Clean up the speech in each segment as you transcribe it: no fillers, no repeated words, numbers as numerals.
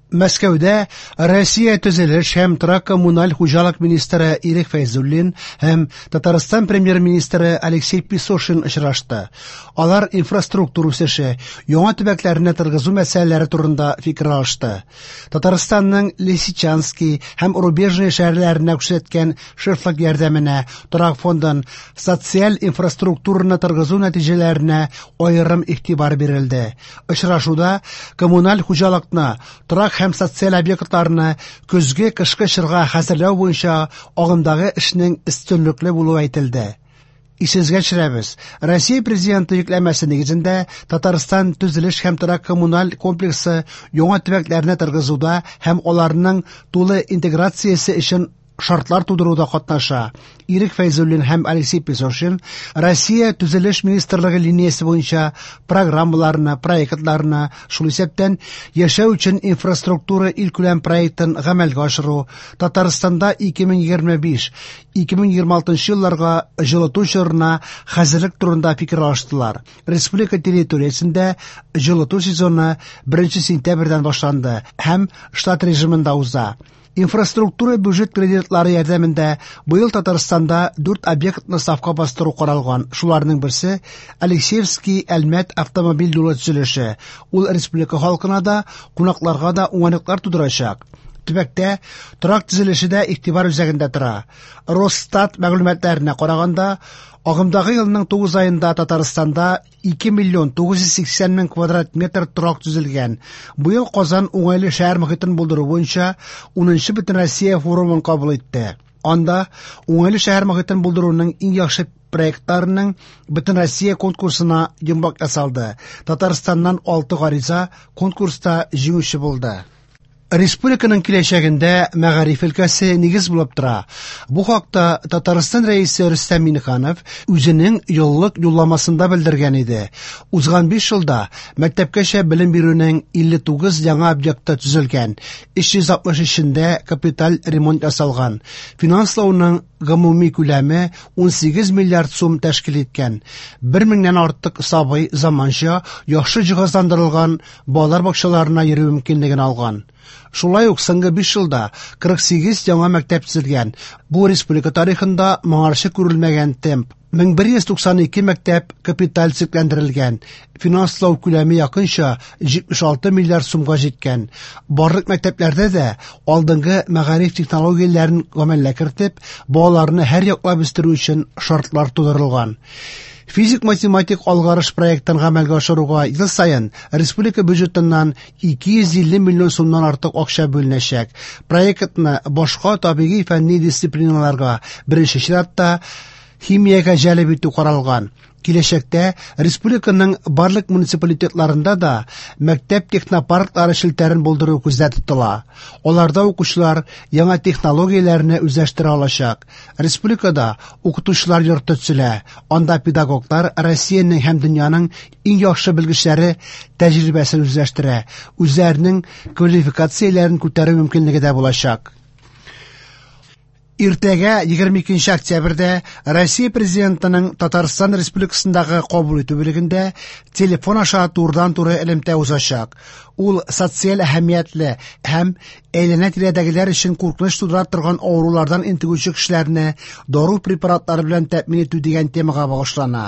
Мәскәүдә Россия төзелеш һәм торак-коммуналь хуҗалык министры Ирек Фәйзуллин һәм Татарстан премьер-министры Алексей Песошин очрашты. Алар инфраструктура үсеше, яңа төбәкләрне торгызу мәсьәләләре турында фикер алышты. Татарстанның Лисичанский һәм Рубежное шәһәрләренә күрсәткән шефлык ярдәменә, торак фондын, социаль инфраструктураны торгызу нәтиҗәләренә аерым игътибар бирелде. Очрашуда коммуналь хуҗалыкны, торак һәм социаль объектларны көзге-кышкы чорга хәзерләү буенча агымдагы эшнең өстенлекле булуы әйтелде. Исегезгә төшерәбез, Россия Президенты йөкләмәсе нигезендә Татарстан төзелеш һәм торак коммуналь комплексы яңа төбәкләрне торгызуда һәм аларның тулы интеграциясе өчен шартлар тудыруда катнаша. Ирек Фәйзуллин һәм Алексей Песошин Россия Төзелеш министрлыгы линиясе буенча программаларны, проектларны, шул исәптән яшәү өчен инфраструктура илкүләм проектын гамәлгә ашыру, Татарстанда 2025-2026 елларга җылыту чорына хәзерлек турында фикер алыштылар. Республика территориясендә җылыту сезоны 1 сентябрьдән башланды һәм штат режимында уза. Инфраструктура бюджет кредитлары ярдәмендә быел Татарстанда 4 объектны сафка бастыру каралган. Шуларның берсе Алексеевский Әлмәт автомобиль юлы төзелеше. Ул республика халкына да, кунакларга да уңайлыклар тудырачак. Төбәктә торак төзелеше дә игътибар үзәгендә тора. Росстат мәгълүматларына караганда, агымдагы елның 9 аенда Татарстанда 2 миллион 980 мең квадрат метр торак төзелгән. Быел Казан уңайлы шәһәр мохитен булдыру буенча 10нчы Бөтенроссия форумын кабул итте. Анда уңайлы шәһәр мохитен булдыруның иң яхшы проектларының Бөтенроссия конкурсына йомгак ясалды. Татарстаннан 6 гариза конкурста җиңүче булды. Республиканың киләчәгендә мәгариф өлкәсе нигез булып тора. Бу хакта Татарстан Рәисе Рөстәм Миңнеханов үзенең еллык юлламасында белдергән иде. Узган 5 елда мәктәпкәчә белем бирүнең 59 яңа объекты төзелгән, 363-ендә капиталь ремонт ясалган. Финанслауның гомуми күләме 18 миллиард сум тәшкил иткән. 1 меңнән артык сабый заманча, яхшы җиһазландырылган балалар бакчаларына йөрү мөмкинлеген алган. Шулай ук соңгы 5 елда 48 яңа мәктәп төзелгән. Бу республика тарихында моңарчы күрелмәгән темп. 1192 мәктәп капиталь төзекләндерелгән. Финанслау күләме якынча 76 миллиард сумга җиткән. Барлык мәктәпләрдә дә алдынгы мәгариф технологияләрен гамәлгә кертеп, балаларны һәр яклап үстерү өчен шартлар тудырылган. Физик-математик алгарыш проектын гамәлгә ашыруга ел саен республика бюджетыннан 250 миллион сумнан артык акча бүленәчәк. Проектны башка табигый фәнни дисциплиналарга, беренче чиратта химиягә җәлеп итү каралган. Киләчәктә республиканың барлык муниципалитетларында да мәктәп технопарклары челтәрен булдыру күздә тотыла. Аларда укучылар яңа технологияләрне үзләштерә алачак. Республикада укытучылар йорты төзелә. Анда педагоглар Россиянең һәм дөньяның иң яхшы белгечләре тәҗрибәсен үзләштерә, үзләренең квалификацияләрен күтәрү мөмкинлеге дә булачак. Иртәгә 22 октябрьдә Россия Президентының Татарстан Республикасындагы кабул итү бүлегендә телефон аша турыдан-туры элемтә узачак. Ул социаль әһәмиятле һәм әйләнә-тирәдәгеләр өчен куркыныч тудыра торган авырулардан интегүче кешеләрне дару препаратлары белән тәэмин итү дигән темага багышлана.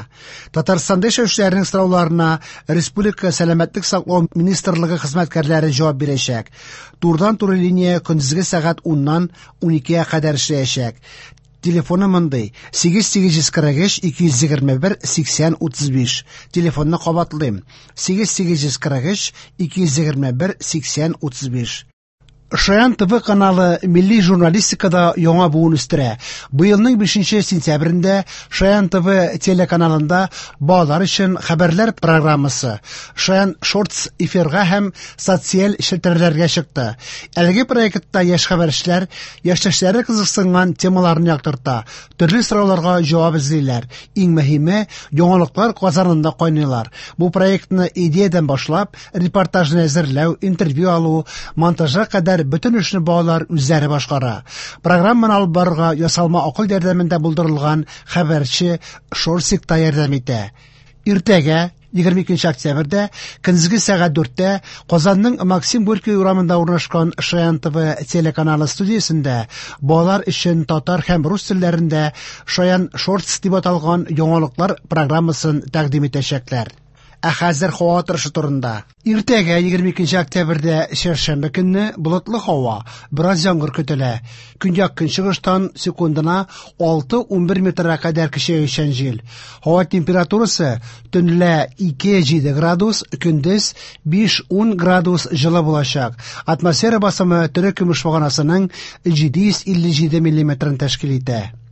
Татарстанда яшәүчеләрнең сорауларына Республика сәламәтлек саклау министрлыгы хезмәткәрләре җавап бирәчәк. Турыдан-туры линия көндезге сәгать 10-нан 12-гә кадәр эшләячәк. Телефоны мондый: 8843 221 80 35. Телефонны кабатлыйм: 8843 221 80 35. Шаян ТВ каналы милли журналистикада яңа буын үстерә. Быелның 5 сентябрендә Шаян ТВ телеканалында балалар өчен хәбәрләр программасы Шаян Шортс эфирга һәм социаль челтәрләргә чыкты. Әлеге проектта яшь хәбәрчеләр яшьтәшләре кызыксынган темаларны яктырта, төрле сорауларга җавап эзлиләр. Иң мөһиме, яңалыклар казанында кайныйлар. Бу проектны идеядән башлап, репортажны әзерләү, интервью алу, монтажга кадәр бөтен эшне балалар үзләре башкара. Программаны алып барырга ясалма акыл ярдәмендә булдырылган хәбәрче Шорсик та ярдәм итә. Иртәгә 22 октябрьдә көндезге сәгать 4-тә Казанның Максим Горький урамында урнашкан Шаян ТВ телеканалы студиясендә балалар өчен татар һәм рус телләрендә Шаян Шортс дип аталган яңалыклар программасын тәкъдим итәчәкләр. Ә хәзер һава торышы турында. Иртәгә 22 октябрьдә чәршәмбе көнне болытлы һава, бераз яңгыр көтелә. Көньяк-көнчыгыштан секундына 6-11 метрга кадәр көчәючән җил. Һава температурасы төнлә 2-7 градус, көндез 5-10 градус җылы булачак. Атмосфера басымы терекөмеш баганасының 757 миллиметрын тәшкил итә.